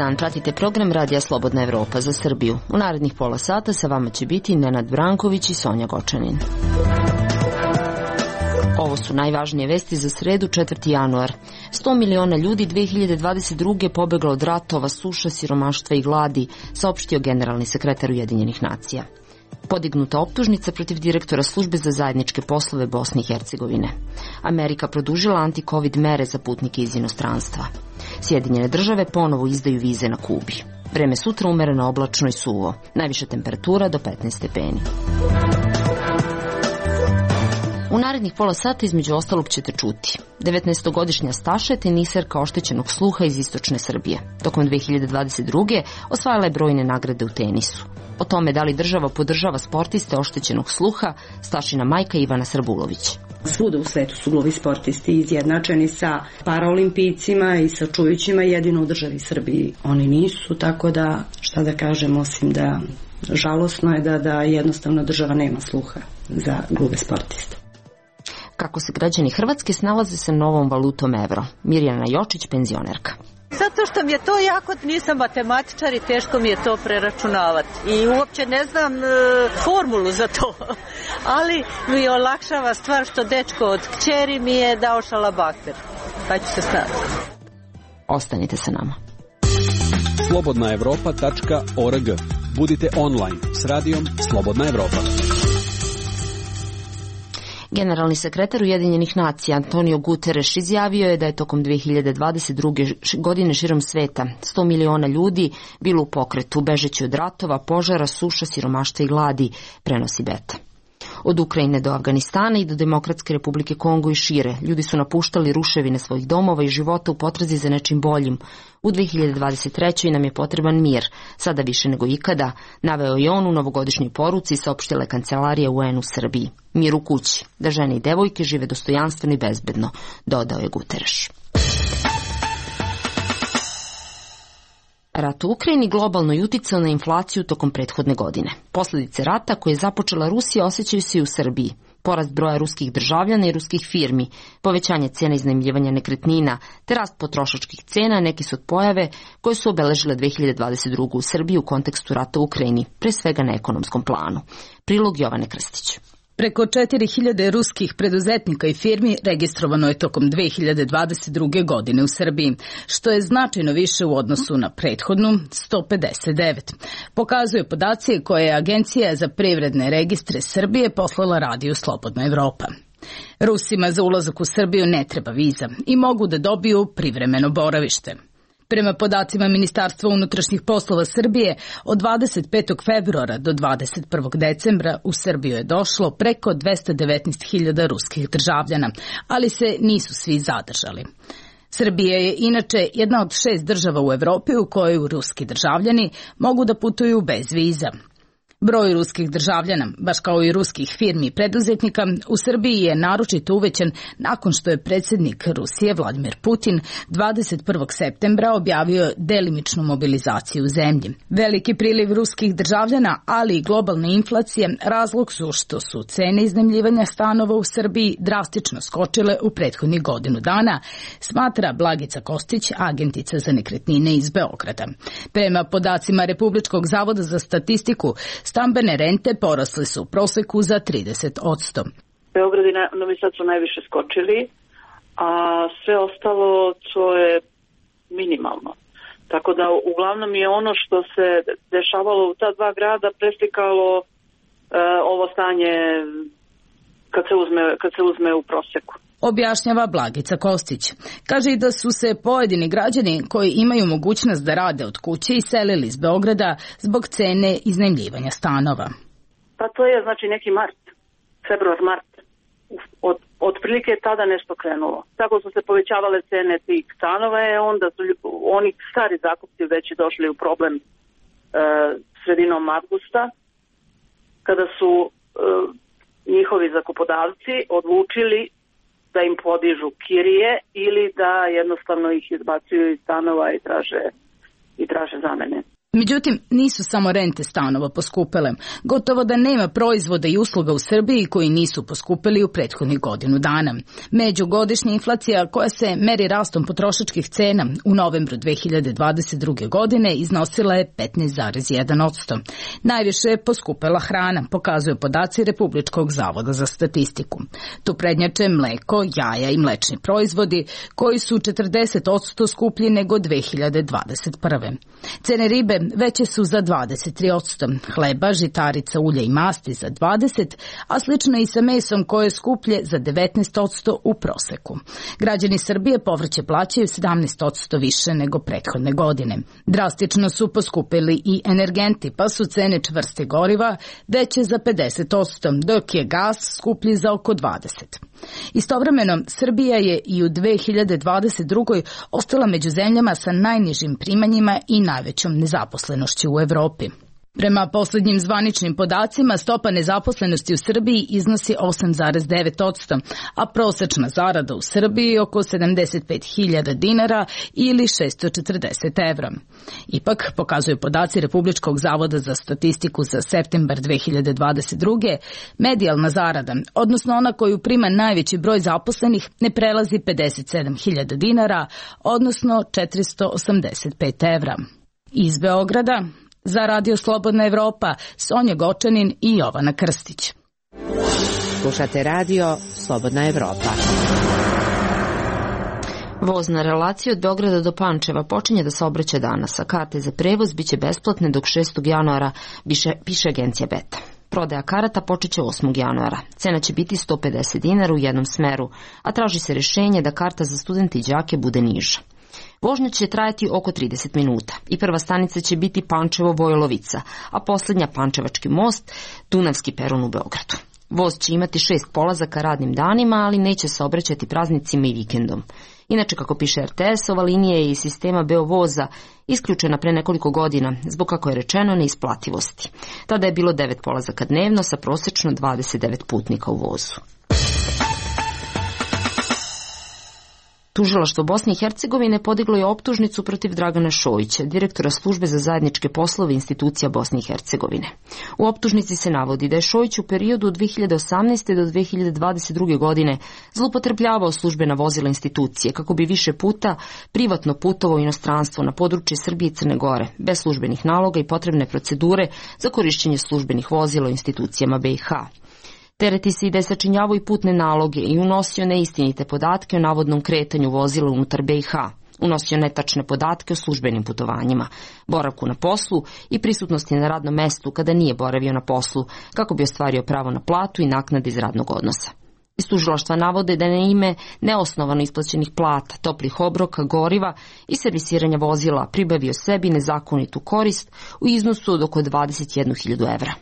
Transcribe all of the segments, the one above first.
dan, pratite program Radija Slobodna Evropa za Srbiju. U narednih pola sata sa vama će biti Nenad Branković i Sonja Gočanin. Ovo su najvažnije vesti za sredu 4. januar. 100 miliona ljudi 2022. pobeglo od ratova, suša, siromaštva i gladi, saopštio generalni sekretar Ujedinjenih nacija. Podignuta optužnica protiv direktora službe za zajedničke poslove Bosne i Hercegovine. Amerika produžila anti-covid mere za putnike iz inostranstva. Sjedinjene države ponovo izdaju vize na Kubi. Vreme sutra umereno oblačno i suvo. Najviša temperatura do 15 stepeni. U narednih pola sata između ostalog ćete čuti. 19-godišnja Staša je teniserka oštećenog sluha iz istočne Srbije. Tokom 2022. osvajala je brojne nagrade u tenisu. O tome da li država podržava sportiste oštećenog sluha, Stašina majka Ivana Srbulović. Svuda u svetu su gluvi sportisti izjednačeni sa paraolimpijcima i sa čujućima, jedino u državi Srbiji oni nisu, tako da šta da kažem osim da žalosno je da jednostavno država nema sluha za gluve sportiste. Kako se građani Hrvatske snalaze sa novom valutom evro? Mirjana Jočić, penzionerka. Zato što mi je to jako, nisam matematičar i teško mi je to preračunavati. I uopće ne znam formulu za to. Ali mi olakšava stvar što dečko od kćeri mi je dao šalabahter. Pa ću se snati. Ostanite sa nama. slobodnaevropa.org. Budite online s radijom Slobodna Evropa. Generalni sekretar Ujedinjenih nacija Antonio Guterres izjavio je da je tokom 2022. godine širom sveta 100 miliona ljudi bilo u pokretu, bežeći od ratova, požara, suša, siromaštva i gladi, prenosi Beta. Od Ukrajine do Afganistana i do Demokratske republike Kongo i šire, ljudi su napuštali ruševine svojih domova i života u potrazi za nečim boljim. U 2023. nam je potreban mir, sada više nego ikada, naveo je on u novogodišnjoj poruci, saopštila je kancelarija UN u Srbiji. Mir u kući, da žene i devojke žive dostojanstveno i bezbedno, dodao je Guterres. Rat u Ukrajini globalno je uticao na inflaciju tokom prethodne godine. Posljedice rata koje je započela Rusija osjećaju se i u Srbiji. Porast broja ruskih državljana i ruskih firmi, povećanje cena iznajmljivanja nekretnina, te rast potrošačkih cena neki su od pojave koje su obeležile 2022. u Srbiji u kontekstu rata u Ukrajini, pre svega na ekonomskom planu. Prilog Jovane Krstić. Preko 4000 ruskih preduzetnika i firmi registrovano je tokom 2022. godine u Srbiji, što je značajno više u odnosu na prethodnu 159. Pokazuju podaci koje je Agencija za privredne registre Srbije poslala Radiju Slobodna Evropa. Rusima za ulazak u Srbiju ne treba viza i mogu da dobiju privremeno boravište. Prema podacima Ministarstva unutrašnjih poslova Srbije, od 25. februara do 21. decembra u Srbiju je došlo preko 219.000 ruskih državljana, ali se nisu svi zadržali. Srbija je inače jedna od 6 država u Evropi u kojoj ruski državljani mogu da putuju bez viza. Broj ruskih državljana, baš kao i ruskih firmi i preduzetnika, u Srbiji je naročito uvećan nakon što je predsjednik Rusije Vladimir Putin 21. septembra objavio delimičnu mobilizaciju u zemlji. Veliki priliv ruskih državljana, ali i globalna inflacija razlog su što su cene iznajmljivanja stanova u Srbiji drastično skočile u prethodnih godinu dana, smatra Blagica Kostić, agentica za nekretnine iz Beograda. Prema podacima Republičkog zavoda za statistiku, stambene rente porasle su u proseku za 30%. Beograd i Novi Sad su najviše skočili, a sve ostalo to je minimalno. Tako da uglavnom je ono što se dešavalo u ta dva grada preslikalo ovo stanje kad se uzme u proseku. Objašnjava Blagica Kostić. Kaže i da su se pojedini građani koji imaju mogućnost da rade od kuće iselili iz Beograda zbog cene iznajmljivanja stanova. Pa to je znači neki februar-mart. Otprilike je tada nešto krenulo. Tako su se povećavale cene tih stanova, onda su oni stari zakupci već došli u problem sredinom avgusta, kada su njihovi zakupodavci odlučili da im podižu kirije ili da jednostavno ih izbacuju iz stanova i traže zamene. Međutim, nisu samo rente stanova poskupele. Gotovo da nema proizvoda i usluga u Srbiji koji nisu poskupeli u prethodnih godinu dana. Međugodišnja inflacija koja se meri rastom potrošačkih cena u novembru 2022. godine iznosila je 15,1%. Najviše je poskupela hrana, pokazuju podaci Republičkog zavoda za statistiku. Tu prednjače mleko, jaja i mlečni proizvodi koji su 40% skuplji nego 2021. Cene ribe veće su za 23%, hleba, žitarica, ulja i masti za 20%, a slično i sa mesom koje je skuplje za 19% u proseku. Građani Srbije povrće plaćaju 17% više nego prethodne godine. Drastično su poskupili i energenti, pa su cene čvrste goriva veće za 50%, dok je gas skuplji za oko 20%. Istovremeno, Srbija je i u 2022. ostala među zemljama sa najnižim primanjima i najvećom nezaposlenošću u Evropi. Prema poslednjim zvaničnim podacima, stopa nezaposlenosti u Srbiji iznosi 8,9%, a prosečna zarada u Srbiji je oko 75.000 dinara ili 640 evra. Ipak, pokazuju podaci Republičkog zavoda za statistiku za septembar 2022. medijalna zarada, odnosno ona koju prima najveći broj zaposlenih, ne prelazi 57.000 dinara, odnosno 485 evra. Iz Beograda, za Radio Slobodna Evropa, Sonja Gočanin i Jovana Krstić. Slušate Radio Slobodna Evropa. Voz na relaciji od Beograda do Pančeva počinje da saobraća danas, a karte za prevoz biće besplatne dok 6. januara, piše agencija Beta. Prodaja karata počeće 8. januara. Cena će biti 150 dinara u jednom smeru, a traži se rješenje da karta za studente i đake bude niža. Vožnja će trajati oko 30 minuta i prva stanica će biti Pančevo-Vojlovica, a posljednja Pančevački most, Dunavski peron u Beogradu. Voz će imati 6 polazaka radnim danima, ali neće se obraćati praznicima i vikendom. Inače, kako piše RTS, ova linija je iz sistema Beovoza isključena pre nekoliko godina zbog, kako je rečeno, neisplativosti. Tada je bilo 9 polazaka dnevno sa prosečno 29 putnika u vozu. Tužilaštvo Bosne i Hercegovine podiglo je optužnicu protiv Dragana Šojića, direktora službe za zajedničke poslove institucija Bosne i Hercegovine. U optužnici se navodi da je Šojić u periodu od 2018. do 2022. godine zloupotrebljavao službena vozila institucije kako bi više puta privatno putovao u inostranstvo na područje Srbije i Crne Gore, bez službenih naloga i potrebne procedure za korišćenje službenih vozila u institucijama BiH. Tereti se i da je sačinjavao i putne naloge i unosio neistinite podatke o navodnom kretanju vozila unutar BiH. Unosio netačne podatke o službenim putovanjima, boravku na poslu i prisutnosti na radnom mestu kada nije boravio na poslu, kako bi ostvario pravo na platu i naknade iz radnog odnosa. Iz tužilaštva navode da je na ime neosnovano isplaćenih plata, toplih obroka, goriva i servisiranja vozila pribavio sebi nezakonitu korist u iznosu od oko 21.000 evra.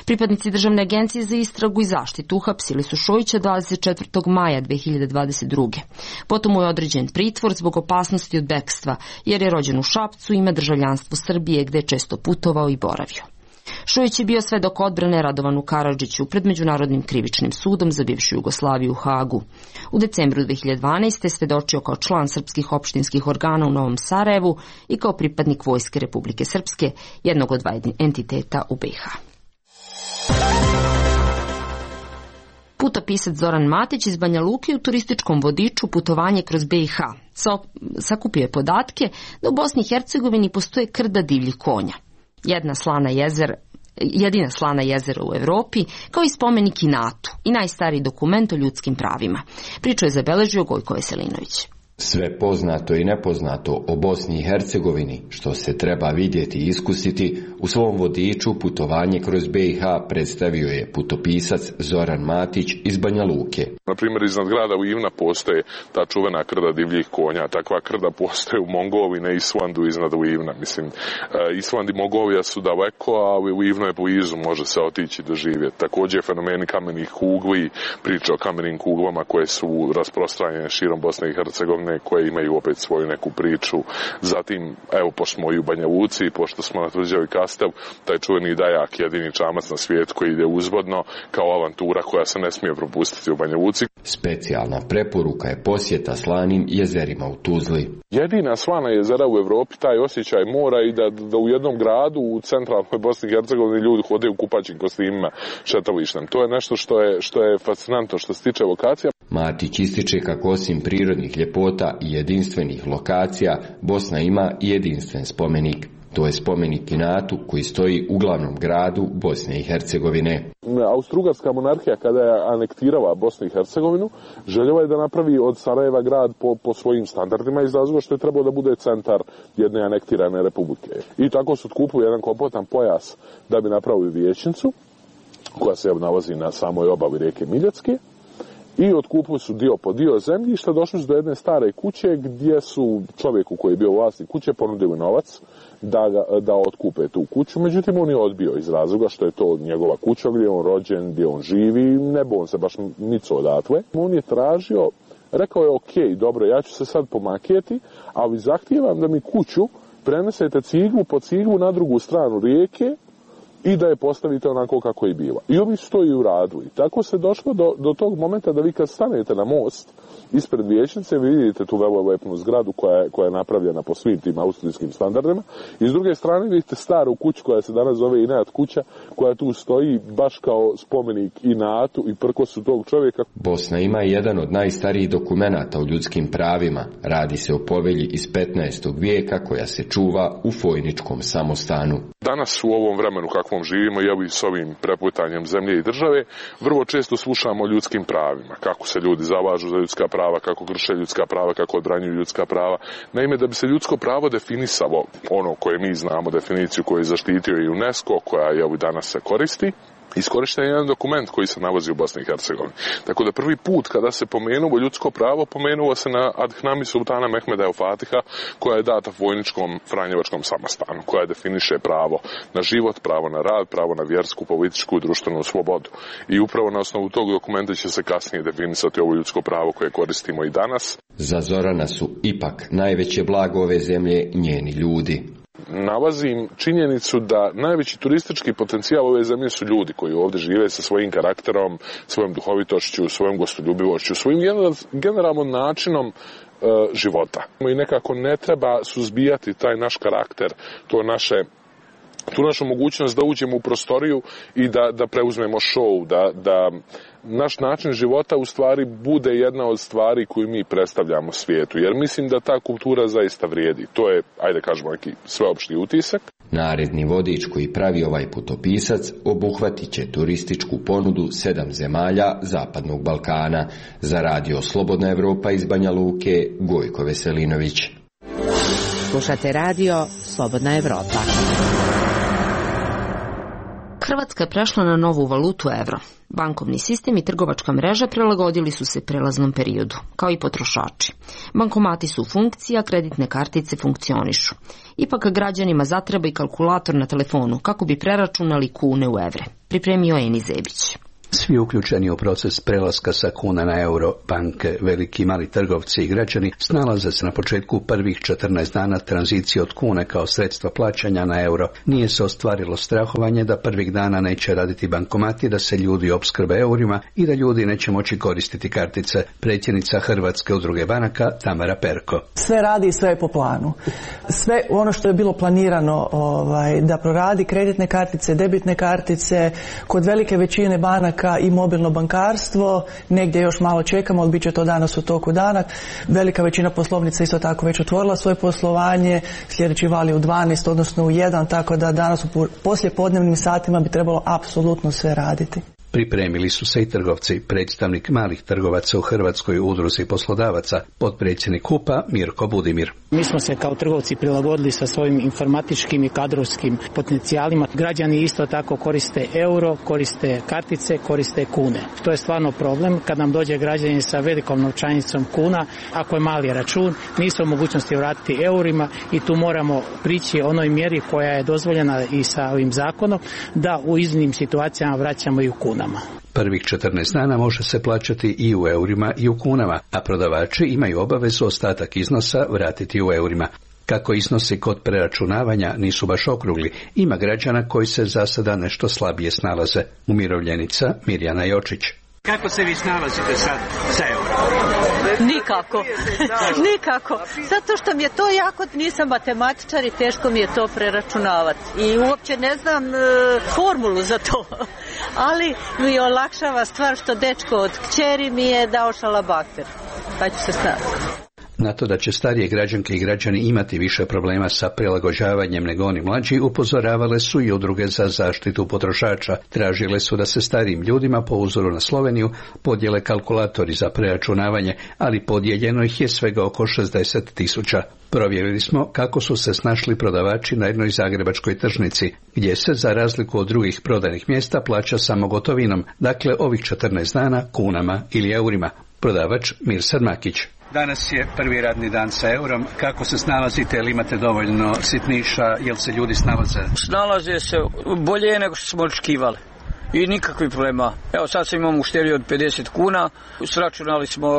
Pripadnici Državne agencije za istragu i zaštitu uhapsili su Šojića 24. maja 2022. Potom mu je određen pritvor zbog opasnosti od bekstva, jer je rođen u Šapcu i ima državljanstvo Srbije gde je često putovao i boravio. Šojić je bio svedok odbrane Radovanu Karadžiću pred Međunarodnim krivičnim sudom za bivšu Jugoslaviju u Hagu. U decembru 2012. svedočio kao član srpskih opštinskih organa u Novom Sarajevu i kao pripadnik Vojske Republike Srpske, jednog od 2 entiteta u BiH. Putopisac Zoran Matić iz Banja Luke u turističkom vodiču Putovanje kroz BiH sakupio je podatke da u Bosni i Hercegovini postoje krda divljih konja. Jedina slana jezera u Evropi, kao i spomenik Inatu i najstariji dokument o ljudskim pravima. Priču je zabeležio Gojko Veselinović. Sve poznato i nepoznato o Bosni i Hercegovini, što se treba vidjeti i iskusiti, u svom vodiču Putovanje kroz BiH predstavio je putopisac Zoran Matić iz Banja Luke. Na primjer, iznad grada Uivna postoje ta čuvena krda divljih konja. Takva krda postoje u Mongoliji, ne Islandu iznad Uivna. Mislim, Island i Mongolija su daleko, a Uivno je blizu, može se otići doživjeti. Također fenomeni kamenih kugli, priča o kamenim kuglama koje su rasprostranjene širom Bosne i Hercegovine one koje imaju opet svoju neku priču. Zatim, evo, pošto smo i u Banja Luci, pošto smo na Tvrđavi Kastev, taj čuveni Dajak, jedini čamac na svijetu koji ide uzvodno, kao avantura koja se ne smije propustiti u Banja Luci. Specijalna preporuka je posjeta slanim jezerima u Tuzli. Jedina slana jezera u Evropi, taj osjećaj mora i da u jednom gradu u centralnoj Bosni i Hercegovini ljudi hode u kupaćim kostimima šetalištem. To je nešto što je fascinantno što se tiče lokacija. Matić ističe kako osim prirodnih ljepota i jedinstvenih lokacija, Bosna ima i jedinstven spomenik. To je spomenik Inatu koji stoji u glavnom gradu Bosne i Hercegovine. Austro-Ugarska monarhija kada je anektirala Bosnu i Hercegovinu, željela je da napravi od Sarajeva grad po svojim standardima iz razloga što je trebao da bude centar jedne anektirane republike. I tako su otkupili jedan kompletan pojas da bi napravili vijećnicu, koja se nalazi na samoj obali rijeke Miljacke. I otkupili su dio po dio zemljišta, došli su do jedne stare kuće gdje su čovjeku koji je bio vlasnik kuće ponudili novac da otkupe tu kuću. Međutim, on je odbio iz razloga što je to njegova kuća gdje je on rođen, gdje on živi, ne bi on se baš nico odatle. On je tražio, rekao je ok, dobro, ja ću se sad pomakijeti, ali zahtijevam da mi kuću prenesete ciglu po ciglu na drugu stranu rijeke i da je postavite onako kako je bila. I ovi su to i uradili. Tako se došlo do tog momenta da vi kad stanete na most ispred vijećnice, vi vidite tu velelepnu zgradu koja je napravljena po svim tim austrijskim standardima. I s druge strane vidite staru kuću koja se danas zove Inat kuća, koja tu stoji baš kao spomenik Inatu i prkosu tog čovjeka. Bosna ima jedan od najstarijih dokumenata o ljudskim pravima. Radi se o povelji iz 15. vijeka koja se čuva u Fojničkom samostanu. Danas u ovom vremenu kakvom živimo i s ovim preputanjem zemlje i države, vrlo često slušamo o ljudskim pravima, kako se ljudi zalažu za ljudska prava, kako krše ljudska prava, kako odbranjuju ljudska prava. Naime, da bi se ljudsko pravo definisalo, ono koje mi znamo, definiciju koju je zaštitio i UNESCO, koja je danas se koristi, iskorišten je jedan dokument koji se nalazi u Bosni i Hercegovini. Tako da prvi put kada se pomenulo ljudsko pravo, pomenulo se na Adhnami sultana Mehmeda el Fatiha, koja je data Vojničkom Franjevačkom samostanu, koja definiše pravo na život, pravo na rad, pravo na vjersku, političku i društvenu slobodu. I upravo na osnovu tog dokumenta će se kasnije definisati ovo ljudsko pravo koje koristimo i danas. Za Zorana su ipak najveće blago ove zemlje njeni ljudi. Nalazim činjenicu da najveći turistički potencijal ove zemlje su ljudi koji ovdje žive sa svojim karakterom, svojom duhovitošću, svojom gostoljubivošću, svojim generalnom načinom života. I nekako ne treba suzbijati taj naš karakter, tu našu mogućnost da uđemo u prostoriju i da preuzmemo show, da naš način života u stvari bude jedna od stvari koju mi predstavljamo svijetu. Jer mislim da ta kultura zaista vrijedi. To je, ajde kažemo, neki sveopšti utisak. Naredni vodič koji pravi ovaj putopisac obuhvatit će turističku ponudu 7 zemalja Zapadnog Balkana. Za radio Slobodna Evropa iz Banja Luke, Gojko Veselinović. Slušate radio Slobodna Evropa. Hrvatska je prešla na novu valutu evro. Bankovni sistem i trgovačka mreža prilagodili su se prelaznom periodu, kao i potrošači. Bankomati su u funkciji, a kreditne kartice funkcionišu. Ipak građanima zatreba i kalkulator na telefonu kako bi preračunali kune u evre. Pripremio Eni Zebić. Svi uključeni u proces prelaska sa kuna na euro, banke, veliki i mali trgovci i građani snalaze se na početku prvih 14 dana tranzicije od kune kao sredstva plaćanja na euro. Nije se ostvarilo strahovanje da prvih dana neće raditi bankomati, da se ljudi opskrbe eurima i da ljudi neće moći koristiti kartice. Predsjednica Hrvatske udruge banaka Tamara Perko. Sve radi i sve je po planu. Sve ono što je bilo planirano da proradi, kreditne kartice, debitne kartice, kod velike većine banaka i mobilno bankarstvo, negdje još malo čekamo, ali bit će to danas u toku dana. Velika većina poslovnica isto tako već otvorila svoje poslovanje, sljedeći val je u 12, odnosno u 1, tako da danas u poslijepodnevnim satima bi trebalo apsolutno sve raditi. Pripremili su se i trgovci. Predstavnik malih trgovaca u Hrvatskoj udruzi poslodavaca, potpredsjednik HUP-a Mirko Budimir. Mi smo se kao trgovci prilagodili sa svojim informatičkim i kadrovskim potencijalima. Građani isto tako koriste euro, koriste kartice, koriste kune. To je stvarno problem kad nam dođe građanin sa velikom novčanicom kuna, ako je mali račun, nisu u mogućnosti vratiti eurima i tu moramo prići onoj mjeri koja je dozvoljena i sa ovim zakonom, da u iznimnim situacijama vraćamo i u kuna. Prvih 14 dana može se plaćati i u eurima i u kunama, a prodavači imaju obavezu ostatak iznosa vratiti u eurima. Kako iznosi kod preračunavanja nisu baš okrugli, ima građana koji se za sada nešto slabije snalaze. Umirovljenica Mirjana Jočić. Kako se vi snalazite sad sa eurom? Nikako. Nikako. Zato što mi je to jako, nisam matematičar i teško mi je to preračunavati. I uopće ne znam formulu za to. Ali mi olakšava stvar što dečko od kćeri mi je dao šalabahter. Pa ću se snalaziti. Na to da će starije građanke i građani imati više problema sa prilagođavanjem nego oni mlađi, upozoravale su i udruge za zaštitu potrošača. Tražile su da se starijim ljudima, po uzoru na Sloveniju, podijele kalkulatori za preračunavanje, ali podijeljeno ih je svega oko 60.000. Provjerili smo kako su se snašli prodavači na jednoj zagrebačkoj tržnici, gdje se, za razliku od drugih prodajnih mjesta, plaća samo gotovinom, dakle ovih 14 dana kunama ili eurima. Prodavač Mirsad Makić. Danas je prvi radni dan sa eurom. Kako se snalazite? Ili imate dovoljno sitniša? Jel se ljudi snalaze? Snalaze se bolje nego što smo očekivali. I nikakvih problema. Evo sad sam imam uštedio od 50 kuna. Sračunali smo,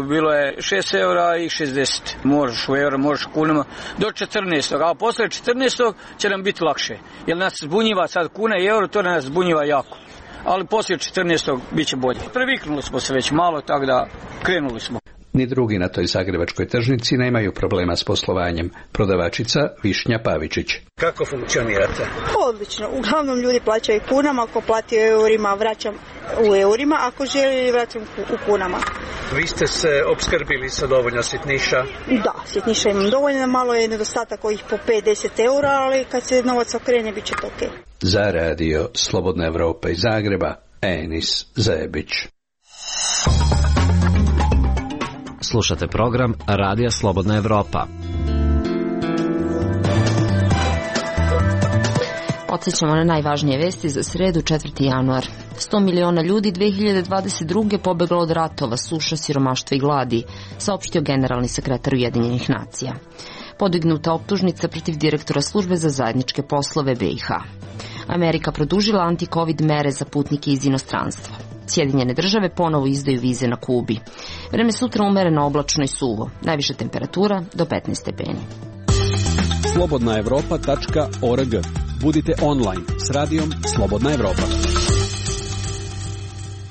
bilo je 6 eura i 60. Možeš u euro, možeš u kunama. Do 14. A posle 14. će nam biti lakše. Jer nas zbunjiva sad kuna i euro, to nas zbunjiva jako. Ali poslije 14. bit će bolje. Previknuli smo se već malo, tako da krenuli smo. Ni drugi na toj zagrebačkoj tržnici nemaju problema s poslovanjem. Prodavačica Višnja Pavičić. Kako funkcionirate? Odlično. Uglavnom ljudi plaćaju kunama, ako plati u eurima vraćam u eurima, ako želi vraćam u kunama. Vi ste se opskrbili sa dovoljno sitniša? Da, sitniša imam dovoljno, malo je nedostatak ovih po 5-10 eura, ali kad se novac okrene bit će to okej. Za radio Slobodna Evropa iz Zagreba, Enis Zebić. Slušate program Radija Slobodna Evropa. Podsjećamo na najvažnije vesti za sredu 4. januar. 100 miliona ljudi 2022. pobeglo od ratova, suša, siromaštva i gladi, saopštio generalni sekretar Ujedinjenih nacija. Podignuta optužnica protiv direktora službe za zajedničke poslove BiH. Amerika produžila anti-covid mere za putnike iz inostranstva. Sjedinjene države ponovo izdaju vize na Kubi. Vreme sutra umereno, oblačno i suvo. Najviša temperatura do 15 stepeni. slobodnaevropa.org. Budite online s radijom Slobodna Evropa.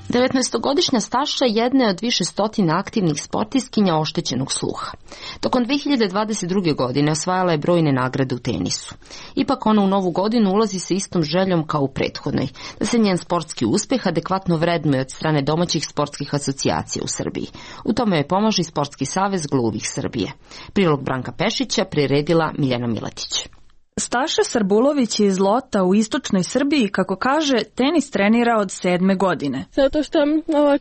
19-godišnja Staša jedna je od više stotina aktivnih sportistkinja oštećenog sluha. Tokom 2022. godine osvajala je brojne nagrade u tenisu. Ipak ona u novu godinu ulazi sa istom željom kao u prethodnoj, da se njen sportski uspeh adekvatno vrednuje od strane domaćih sportskih asocijacija u Srbiji. U tome joj pomaže Sportski savez gluvih Srbije. Prilog Branka Pešića priredila Miljana Miletić. Staša Sarbulović je iz Lota u istočnoj Srbiji, kako kaže, tenis trenira od 7. godine. Zato što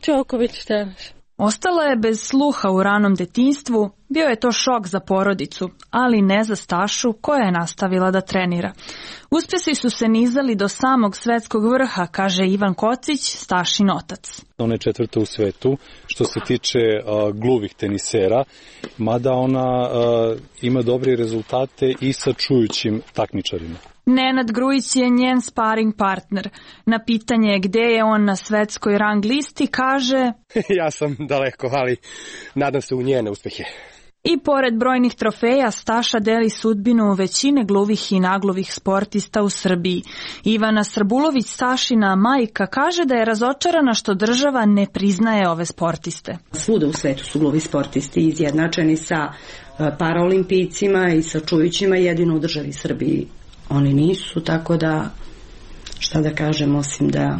Đoković tenis. Ostala je bez sluha u ranom detinjstvu, bio je to šok za porodicu, ali ne za Stašu koja je nastavila da trenira. Uspjesi su se nizali do samog svetskog vrha, kaže Ivan Kocić, Stašin otac. Ona je 4. u svetu što se tiče gluvih tenisera, mada ona ima dobre rezultate i sa čujućim takmičarima. Nenad Grujić je njen sparing partner. Na pitanje gdje je on na svetskoj rang listi kaže: Ja sam daleko, ali nadam se u njene uspjehe. I pored brojnih trofeja, Staša deli sudbinu većine gluvih i nagluvih sportista u Srbiji. Ivana Sarbulović, Stašina majka, kaže da je razočarana što država ne priznaje ove sportiste. Svuda u svetu su gluvi sportisti izjednačeni sa paraolimpijcima i sa čujućima, jedino u državi Srbiji oni nisu, tako da, šta da kažem, osim da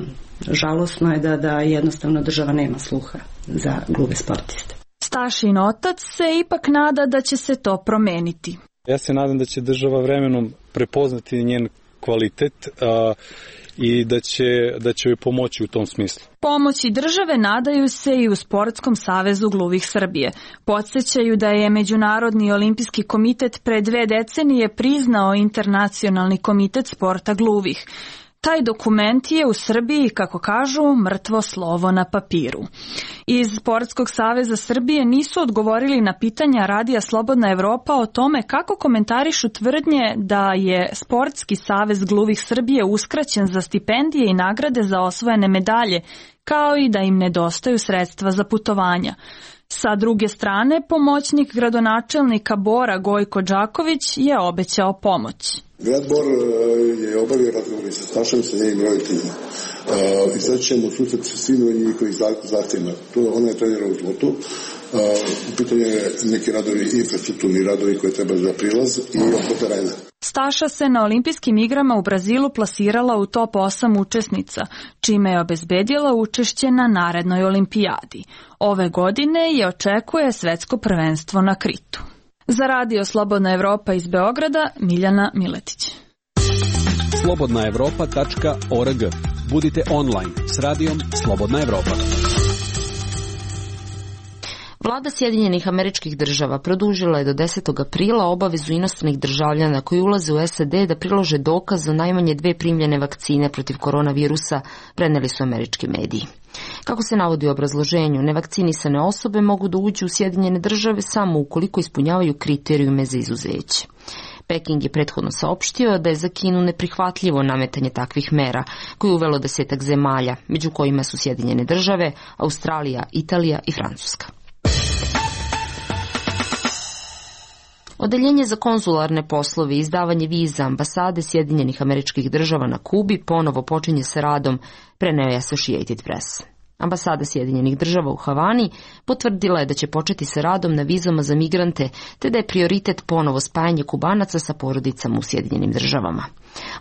žalosno je da jednostavno država nema sluha za gluve sportiste. Stašin otac se ipak nada da će se to promeniti. Ja se nadam da će država vremenom prepoznati njen kvalitet i da će joj pomoći u tom smislu. Pomoći države nadaju se i u Sportskom savezu gluvih Srbije. Podsjećaju da je Međunarodni olimpijski komitet pre 2 decenije priznao Internacionalni komitet sporta gluvih. Taj dokument je u Srbiji, kako kažu, mrtvo slovo na papiru. Iz Sportskog saveza Srbije nisu odgovorili na pitanja Radija Slobodna Evropa o tome kako komentarišu tvrdnje da je Sportski savez gluvih Srbije uskraćen za stipendije i nagrade za osvojene medalje, kao i da im nedostaju sredstva za putovanja. Sa druge strane, pomoćnik gradonačelnika Bora Gojko Đaković je obećao pomoć. Grad Bor je obavio razgovor sa Stašom, sa njenim roditeljima. I sad ćemo susret sa svim njihovih zahtjevima. Ona je trenirala u Zlotu. U pitanju je neki radovi, infrastrukturni radovi koje treba za prilaz i oko terena. Staša se na olimpijskim igrama u Brazilu plasirala u top 8 učesnica, čime je obezbedila učešće na narednoj olimpijadi. Ove godine je očekuje svetsko prvenstvo na Kritu. Za Radio Slobodna Evropa iz Beograda, Miljana Miletić. slobodnaevropa.org. Budite online s radijom Slobodna Evropa. Vlada Sjedinjenih Američkih Država produžila je do 10. aprila obavezu inostranih državljana koji ulaze u SAD da prilože dokaz o najmanje 2 primljene vakcine protiv koronavirusa, preneli su američki mediji. Kako se navodi u obrazloženju, nevakcinisane osobe mogu da uđu u Sjedinjene Države samo ukoliko ispunjavaju kriterijume za izuzeće. Peking je prethodno saopštio da je za Kinu neprihvatljivo nametanje takvih mera, koje je uvelo 10 zemalja, među kojima su Sjedinjene Države, Australija, Italija i Francuska. Odeljenje za konzularne poslove i izdavanje viza ambasade Sjedinjenih Američkih Država na Kubi ponovo počinje sa radom, preneo je Associated Press. Ambasada Sjedinjenih Država u Havani potvrdila je da će početi sa radom na vizama za migrante, te da je prioritet ponovo spajanje Kubanaca sa porodicama u Sjedinjenim Državama.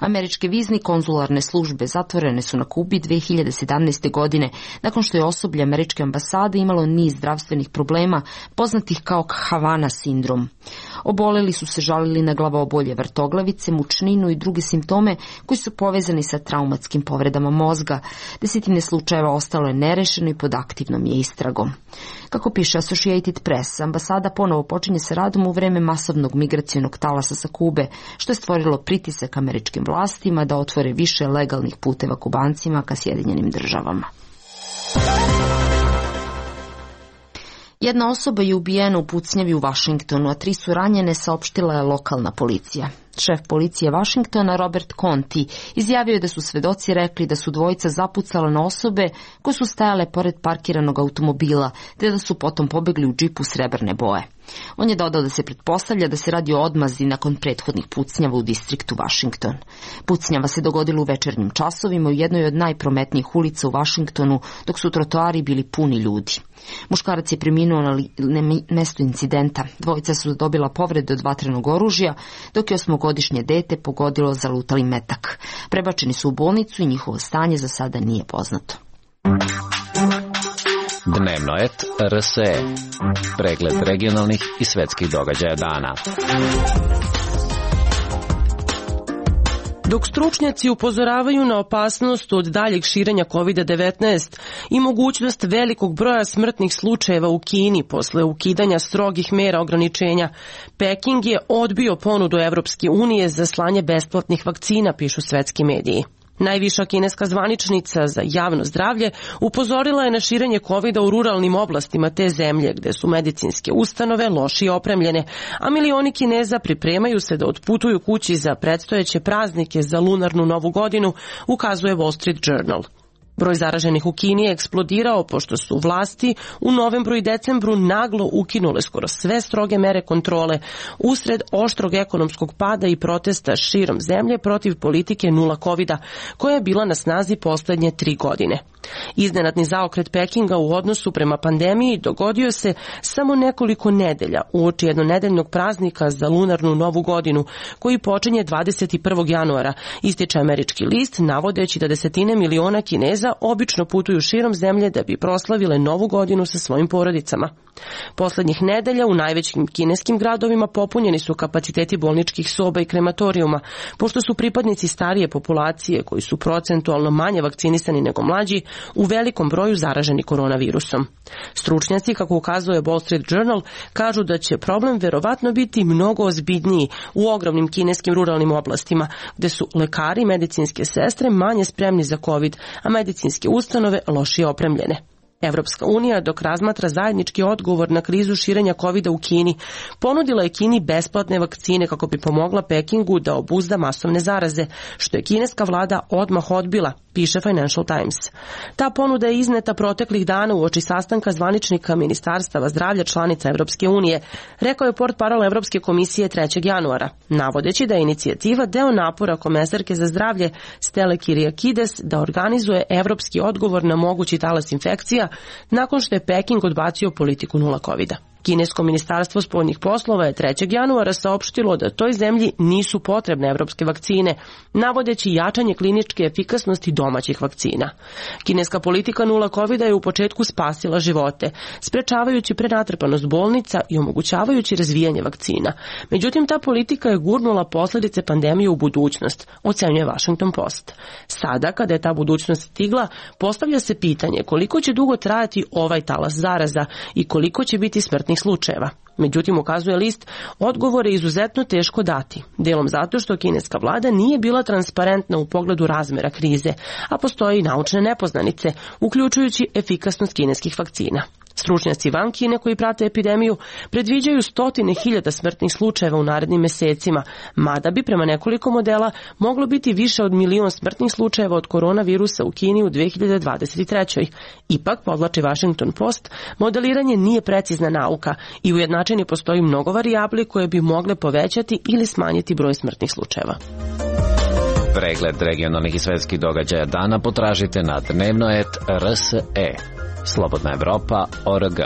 Američke vizni konzularne službe zatvorene su na Kubi 2017. godine, nakon što je osoblje američke ambasade imalo niz zdravstvenih problema, poznatih kao Havana sindrom. Oboleli su se žalili na glavobolje, vrtoglavice, mučninu i druge simptome koji su povezani sa traumatskim povredama mozga. 10 slučajeva ostalo je nerešeno i pod aktivnom je istragom. Kako piše Associated Press, ambasada ponovo počinje sa radom u vreme masovnog migracionog talasa sa Kube, što je stvorilo pritisak američkim vlastima da otvore više legalnih puteva Kubancima ka Sjedinjenim Državama. Jedna osoba je ubijena u pucnjavi u Vašingtonu, a 3 su ranjene, saopštila je lokalna policija. Šef policije Vašingtona, Robert Conti, izjavio je da su svedoci rekli da su dvojica zapucala na osobe koje su stajale pored parkiranog automobila, te da su potom pobegli u džipu srebrne boje. On je dodao da se pretpostavlja da se radi o odmazdi nakon prethodnih pucnjava u distriktu Vašington. Pucnjava se dogodila u večernjim časovima u jednoj od najprometnijih ulica u Vašingtonu, dok su trotoari bili puni ljudi. Muškarac je preminuo na mestu incidenta. Dvojica su dobila povrede od vatrenog oružja, dok je 8-godišnje dete pogodilo zalutali metak. Prebačeni su u bolnicu i njihovo stanje za sada nije poznato. Dnevnoet RSE. Pregled regionalnih i svetskih događaja dana. Dok stručnjaci upozoravaju na opasnost od daljeg širenja COVID-19 i mogućnost velikog broja smrtnih slučajeva u Kini posle ukidanja strogih mera ograničenja, Peking je odbio ponudu Evropske unije za slanje besplatnih vakcina, pišu svetski mediji. Najviša kineska zvaničnica za javno zdravlje upozorila je na širenje COVID-a u ruralnim oblastima te zemlje, gde su medicinske ustanove lošije opremljene, a milioni Kineza pripremaju se da otputuju kući za predstojeće praznike za lunarnu novu godinu, ukazuje Wall Street Journal. Broj zaraženih u Kini je eksplodirao pošto su vlasti u novembru i decembru naglo ukinule skoro sve stroge mere kontrole usred oštrog ekonomskog pada i protesta širom zemlje protiv politike nula covida, koja je bila na snazi poslednje 3 godine. Iznenadni zaokret Pekinga u odnosu prema pandemiji dogodio se samo nekoliko nedelja uoči jednonedeljnog praznika za lunarnu novu godinu, koji počinje 21. januara, ističe američki list, navodeći da desetine miliona Kineza obično putuju širom zemlje da bi proslavile novu godinu sa svojim porodicama. Poslednjih nedelja u najvećim kineskim gradovima popunjeni su kapaciteti bolničkih soba i krematorijuma, pošto su pripadnici starije populacije, koji su procentualno manje vakcinisani nego mlađi, u velikom broju zaraženi koronavirusom. Stručnjaci, kako ukazuje Wall Street Journal, kažu da će problem verovatno biti mnogo ozbiljniji u ogromnim kineskim ruralnim oblastima, gde su lekari i medicinske sestre manje spremni za COVID, a medicinske ustanove lošije opremljene. Evropska unija, dok razmatra zajednički odgovor na krizu širenja COVID-a u Kini, ponudila je Kini besplatne vakcine kako bi pomogla Pekingu da obuzda masovne zaraze, što je kineska vlada odmah odbila, piše Financial Times. Ta ponuda je izneta proteklih dana uoči sastanka zvaničnika ministarstava zdravlja članica Evropske unije, rekao je portparol Evropske komisije 3. januara, navodeći da je inicijativa deo napora komesarke za zdravlje Stelle Kyriakides da organizuje evropski odgovor na mogući talas infekcija nakon što je Peking odbacio politiku nula covida. Kinesko ministarstvo spoljnih poslova je 3. januara saopštilo da toj zemlji nisu potrebne evropske vakcine, navodeći jačanje kliničke efikasnosti domaćih vakcina. Kineska politika nula covida je u početku spasila živote, sprečavajući prenatrpanost bolnica i omogućavajući razvijanje vakcina. Međutim, ta politika je gurnula posljedice pandemije u budućnost, ocenjuje Washington Post. Sada, kada je ta budućnost stigla, postavlja se pitanje koliko će dugo trajati ovaj talas zaraza i koliko će biti smrtnih slučajeva. Međutim, ukazuje list, odgovor je izuzetno teško dati, delom zato što kineska vlada nije bila transparentna u pogledu razmera krize, a postoje i naučne nepoznanice, uključujući efikasnost kineskih vakcina. Stručnjaci van Kine koji prate epidemiju predviđaju 100.000 smrtnih slučajeva u narednim mesecima, mada bi prema nekoliko modela moglo biti više od 1.000.000 smrtnih slučajeva od koronavirusa u Kini u 2023. Ipak, podvlači Washington Post, modeliranje nije precizna nauka i ujednačeni postoji mnogo varijabli koje bi mogle povećati ili smanjiti broj smrtnih slučajeva. Pregled regionalnih i svetskih događaja dana potražite na dnevnoet.rse. Slobodna Evropa.org.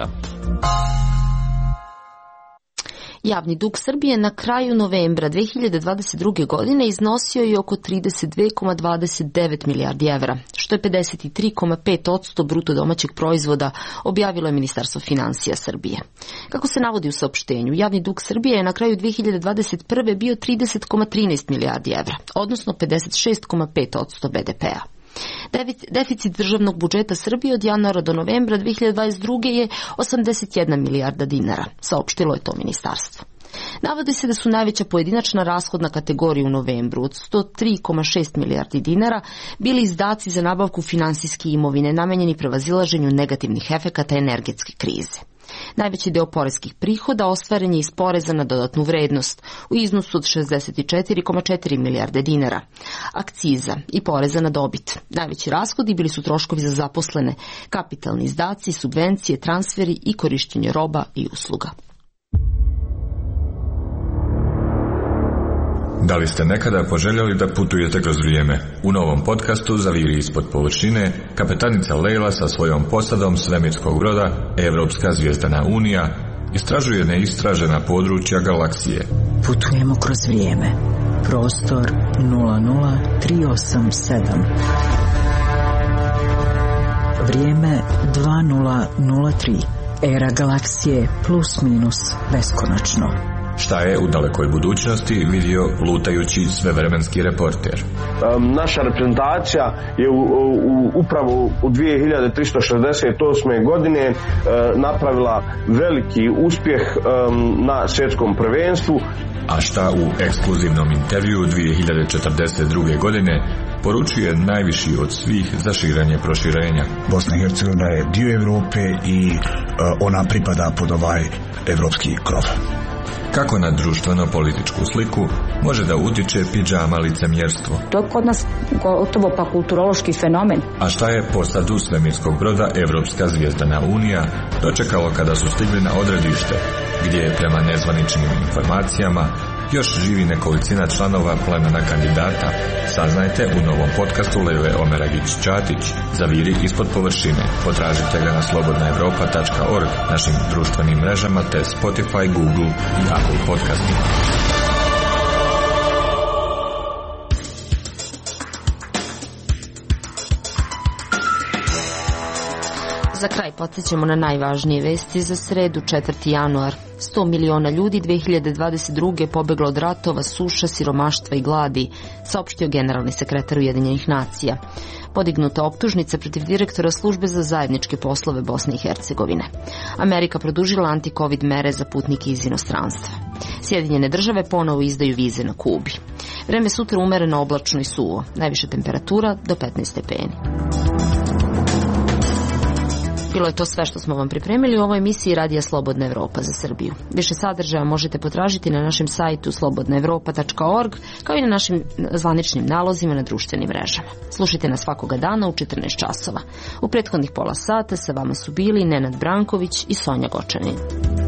Javni dug Srbije na kraju novembra 2022. godine iznosio je oko 32,29 milijardi evra, što je 53,5% bruto domaćeg proizvoda, objavilo je Ministarstvo finansija Srbije. Kako se navodi u saopštenju, javni dug Srbije je na kraju 2021. bio 30,13 milijardi evra, odnosno 56,5% BDP-a. Deficit državnog budžeta Srbije od januara do novembra 2022. je 81 milijarda dinara, saopštilo je to ministarstvo. Navodi se da su najveća pojedinačna rashodna kategorija u novembru od 103,6 milijardi dinara bili izdaci za nabavku finansijske imovine namenjeni prevazilaženju negativnih efekata energetske krize. Najveći deo poreskih prihoda ostvaren je iz poreza na dodatnu vrednost u iznosu od 64,4 milijarde dinara, akciza i poreza na dobit. Najveći rashodi bili su troškovi za zaposlene, kapitalni izdaci, subvencije, transferi i korištenje roba i usluga. Da li ste nekada poželjeli da putujete kroz vrijeme? U novom podcastu Zaviri ispod površine, kapetanica Leila sa svojom posadom svemirskog broda Evropska zvijezdana unija istražuje neistražena područja galaksije. Putujemo kroz vrijeme. Prostor 00387. Vrijeme 2003. Era galaksije plus minus beskonačno. Šta je u dalekoj budućnosti vidio lutajući svevremenski reporter? Naša reprezentacija je upravo u 2368. godine napravila veliki uspjeh na svjetskom prvenstvu. A šta u ekskluzivnom intervjuu 2042. godine poručuje najviši od svih za širenje proširenja? Bosna i Hercegovina je dio Europe i ona pripada pod ovaj evropski krov. Kako na društveno-političku sliku može da utiče pidžama licemjerstvo? To je kod nas gotovo pa kulturološki fenomen. A šta je posadu svemirskog broda Evropska zvijezdana unija dočekalo kada su stigli na odredište, gdje je prema nezvaničnim informacijama još živi nekolicina članova plemena kandidata? Saznajte u novom podcastu Lele Omeragić-Ćatić Zaviri ispod površine. Potražite ga na slobodnaevropa.org, našim društvenim mrežama te Spotify, Google i Apple podcastima. Za kraj podsjećamo na najvažnije vesti za sredu 4. januar. 100 miliona ljudi 2022. pobeglo od ratova, suša, siromaštva i gladi, saopštio generalni sekretar Ujedinjenih nacija. Podignuta optužnica protiv direktora službe za zajedničke poslove Bosne i Hercegovine. Amerika produžila anti-covid mere za putnike iz inostranstva. Sjedinjene države ponovo izdaju vize na Kubi. Vreme sutra umereno, oblačno i suvo. Najviša temperatura do 15 stepeni. Bilo je to sve što smo vam pripremili u ovoj emisiji Radija Slobodna Evropa za Srbiju. Više sadržaja možete potražiti na našem sajtu slobodnaevropa.org, kao i na našim zvaničnim nalozima na društvenim mrežama. Slušajte nas svakoga dana u 14 časova. U prethodnih pola sata sa vama su bili Nenad Branković i Sonja Gočanin.